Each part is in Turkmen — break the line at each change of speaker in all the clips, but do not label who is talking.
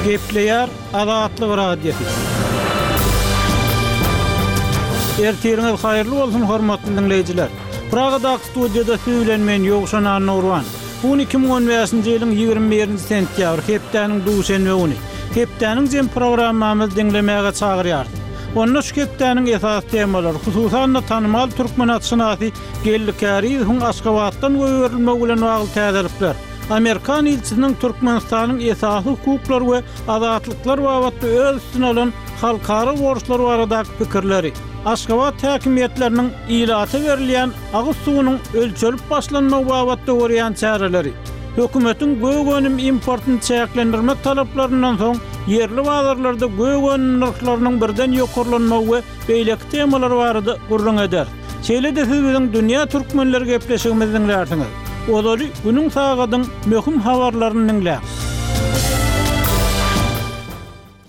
Gepleýär Azatlyk Radiosy. Ertiriňiz haýyrly bolsun hormatly diňleýjiler. Pragadaky studiýada siz bilen men Ýowşan Annagurban. Bu gün 2015-nji ýylyň 21-nji sentýabry, hepdäniň duşenbe güni. Hepdäniň jem programmamyzy diňlemäge çagyrýarys. Onda şu hepdäniň esasy temalary, hususan-da tanymal türkmen atşynasy Geldi Kärizowyň Aşgabatdan goýberilmegi bilen bagly täzelikler, amerikan ilçisiniň Türkmenistanyň esasy hukuklar we azatlyklar babatda öz üstüne alan halkara borçlary baradaky pikirleri, Aşgabat häkimiýetleriniň ilata berilýän agyz suwunyň ölçelip başlanmagy babatda görýän çäreleri, hökümetiň gök önüm importyny çäklendirmek talaplaryndan soň ýerli bazarlarda gök önüm nyrhlarynyň birden ýokarlanmagy we beýleki temalar barada gürrüň ederis. Şeýle-de siz biziň Dünýä Türkmenleri gepleşigimizi diňlärsiňiz. Ozaly günüň sagadyň möhüm habarlaryny diňläň.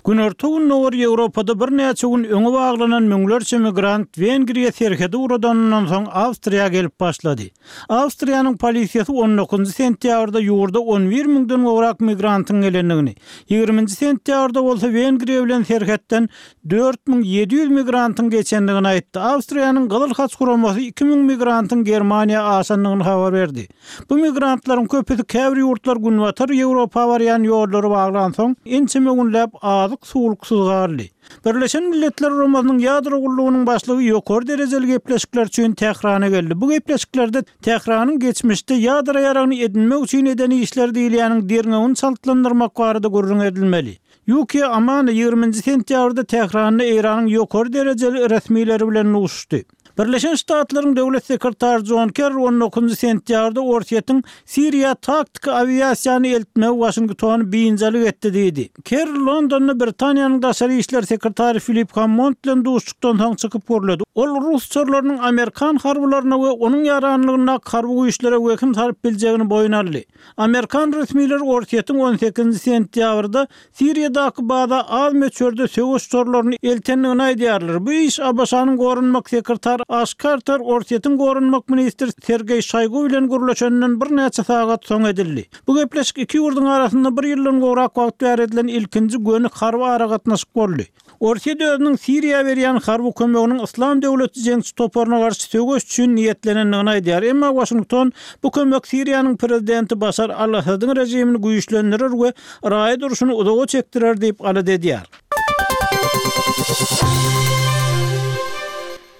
Günorta-Gündogar Ýewropada birnäçe gün öňe baglanan müňlerçe migrant Wengriýa serhedi uradanyndan soň Awstriýa gelip başlady. Awstriýanyň polisiýasy on dokuzynjy sentýabrda ýurda on bir müňden gowrak migrantyň gelendigini, ýigriminji sentýabrda bolsa Wengriýa bilen serhetden 4700 migrantyň geçendigini aýtdy. Awstriýanyň Gyzyl Haç guramasy 2000 migrantyň Germaniýa aşandygyny habar berdi. Bu migrantlaryň köpüsi käbir ýurtlar Günbatar Ýewropa barýan ýollary baglansoň, ençeme günläp azyk-suwluksyz galdy. Birleşen Milletler Guramasynyň Ýadro gullugynyň başlygy ýokary derejeli gepleşikler üçin Tährana geldi. Bu gepleşiklerde Tähranyň geçmişde ýadro ýaragyny edinmek üçin eden işleri diýilýäniň derňewini çaltlandyrmak barada gürrüň edilmeli. Ýukiýa Amano ýigriminji sentýabrda Tähranda Eýranyň ýokary derejeli resmileri bilen duşuşdy. Birleşen Ştatlaryň Döwlet sekretary Jon Kerri on dokuzynjy sentýabrda Orsýetiň Siriýa taktiki awiasiýany eltmegi Waşingtony biynjalyk etdi diýdi. Kerri Londonda Britaniýanyň daşary işler sekretary Filip Hammond bilen duşuşykdan soň çykyp gürledi. Ol rus uçarlarynyň amerikan harbylaryna we onuň ýaranlygyndaky harby güýçlere wehim salyp biljegini boýun aldy. Amerikan resmileri Orsýetiň on sekizinji sentýabrda Siriýadaky baza az möçberde söweş uçarlaryny eltendigini aýdýarlar. Bu iş ABŞ-nyň goranmak sekretary Aş Karter Orsýetiň goranmak ministri Sergeý Şoýgu bilen gürleşeninden birnäçe sagat soň edildi. Bu gepleşik iki ýurduň arasynda bir ýyldan gowrak wagt bäri edilen ilkinji göni harby aragatnaşyk boldy. Orsýet özüniň Siriýa berýän harby kömeginiň Yslam döwleti jeňçi toparyna garşy söweş üçin niýetlenendigini aýdýar. Emma Waşington bu kömek Siriýanyň prezidenti Başar al-Assadyň režimini güýçlendirer we raýat urşuny uzaga çekdirer diýip alada edýär.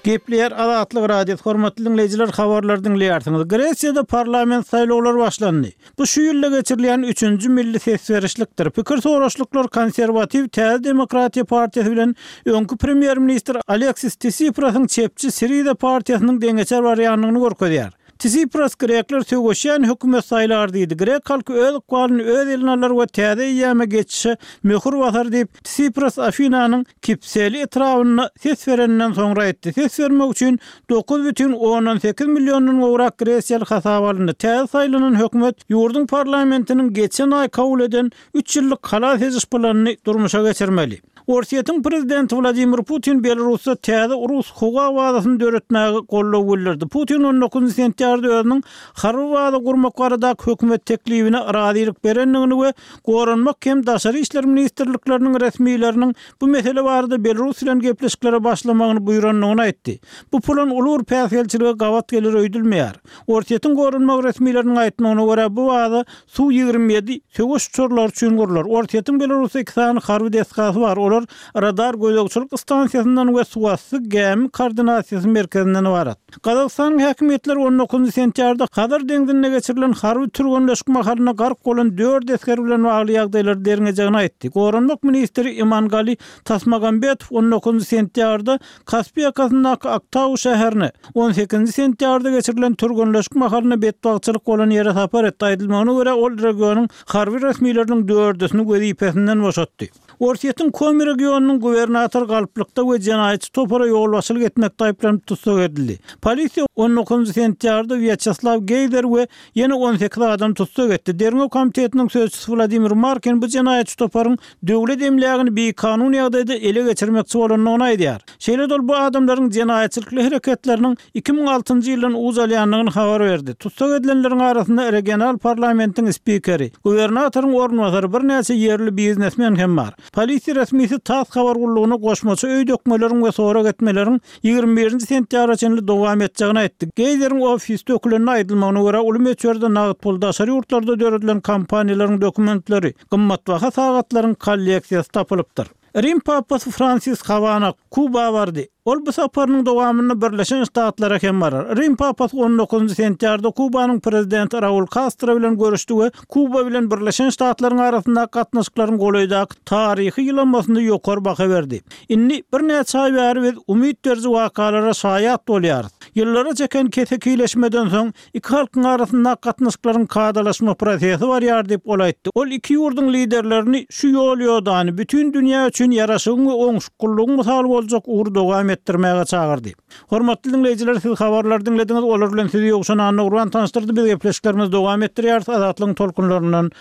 Gepleýär Azatlyk Radiosy, hormatly diňleýjiler habarlary diňleýärsiňiz. Gresiýada parlament saýlawlary başlandy. Bu şu ýylda geçirilýän üçünji milli ses berişlikdir. Pikir soraşlyklar konserwatiw Täze demokratiýa partiýasy bilen öňki premýer-ministr Aleksis Tisiprasyň çepçi Siriza partiýasynyň deňeçer barýandygyny görkezýär. Tsipras grekler söweşýän hökümet saýlar diýdi. Grek halky öz ykbalyny öz eline alar we täze eýýama geçişe möhür basar diýip, Tsipras Afinanyň Kipseli etrabynda ses bereninden soňra aýtdy. Ses bermek üçin 9,8 milliondan gowrak gresiýaly hasaba alyndy. Täze saýlanan hökümet ýurduň parlamentiniň geçen aý kabul eden üç ýyllyk halas ediş planyny durmuşa geçirmeli. Orsýetiň prezidenti Wladimir Putin Belarusda täze rus howa bazasyny döretmäge goldaw bildirdi. Putin on dokuzynjy sentýabrda özüniň harby baza gurmak baradaky hökümet teklibine razylyk berendigini we Goranmak hem Daşary işler ministrlikleriniň resmileriniň bu mesele barada Belarus bilen gepleşiklere başlamagyny buýrandygyny aýtdy. Bu plan uly bir päsgelçilige gabat geler öýdülmeýär. Orsýetiň goranmak resmileriniň aýtmagyna görä, bu baza Su 27 söweş uçarlary üçin gurlar. Orsýetiň Belarusda iki sany harby desgasy bar, olar radar gözegçilik stansiýasyndan we suwasty gämi koordinasiýasy merkezinden ybarat. Gazagystanyň häkimiýetleri on dokuzynjy sentýabrda Hazar deňzinde geçirilen harby türgenleşik mahalynda gark bolan dört esger bilen bagly ýagdaýlary derňejegini aýtdy. Goranmak ministri Imangali Tasmagambetow on dokuzynjy sentýabrda Kaspi ýakasyndaky Aktau şäherine, on sekizinji sentýabrda geçirilen türgenleşik mahalynda betbagtçylyk bolan ýere sapar etdi. Aýdylmagyna görä, ol regionyň harby resmileriniň dördüsini wezipesinden boşatdy. Orsýetiň Komi regionynyň gubernatory galplykda we jenaýatçy topara ýolbaşçylyk etmekde aýyplanyp tussag edildi. Polisiýa on dokuzynjy sentýabrda Wýaçeslaw Geýzer we ýene 18 adam tussag etdi. Derňew komitetiniň sözçüsi Wladimir Markin bu jenaýatçy toparyň döwlet emlägini bikanun ýagdaýda ele geçirmekçi bolandygyny aýdýar. Şeýle-de ol bu adamlaryň jenaýatçylykly hereketleriniň 2006-njy ýyldan uç alýandygyny habar berdi. Tussag edilenleriň arasynda regional parlamentiň spikeri, gubernatoryň orunbasary, birnäçe ýerli biznesmen hem bar. Polisiýa resmisi tass habar gullugyna goşmaça öý dökmeleriň we sorag etmeleriň 21-nji sentýabra çenli dowam etjegini aýtdy. Geýzeriň ofisi dökülende aýdylmagyna görä, uly möçberde nagt pul, daşary ýurtlarda döredilen kompaniýalaryň dokumentleri, gymmatbaha sagatlaryň kolleksiýasy tapylypdyr. Rim papasy Fransis Hawana, Kuba bardy. Ol bu saparynyň dowamynda Birleşen Ştatlara hem barar. Rim papasy on dokuzynjy sentýarda Kubanyň prezidenti Raul Kastro bilen görüşdi we Kuba bilen Birleşen Ştatlaryň arasyndaky gatnaşyklaryň golaýdaky taryhy ýylanmasyna ýokary baha berdi. Indi birnäçe aý bäri biz umyt beriji wakalara şaýat bolýarys. Ýyllara çeken kesekileşmeden soň, Iki halkyň arasyndaky gatnaşyklaryň kadalaşma prosesi barýar diýip, ol aýtdy. Ol iki ýurduň liderlerini şu ýol-ýodany, bütin dünýä üçin ýaraşygyň we oňşuklylygyň mysaly boljak ugry dowam etdirmäge çagyrdy. Hormatly diňleýjiler, siz habarlary diňlediňiz, olar bilen sizi Ýowşan Annagurban tanyşdyrdy. Biz gepleşiklerimizi dowam etdirýäris, Azatlygyň tolkunlaryndan.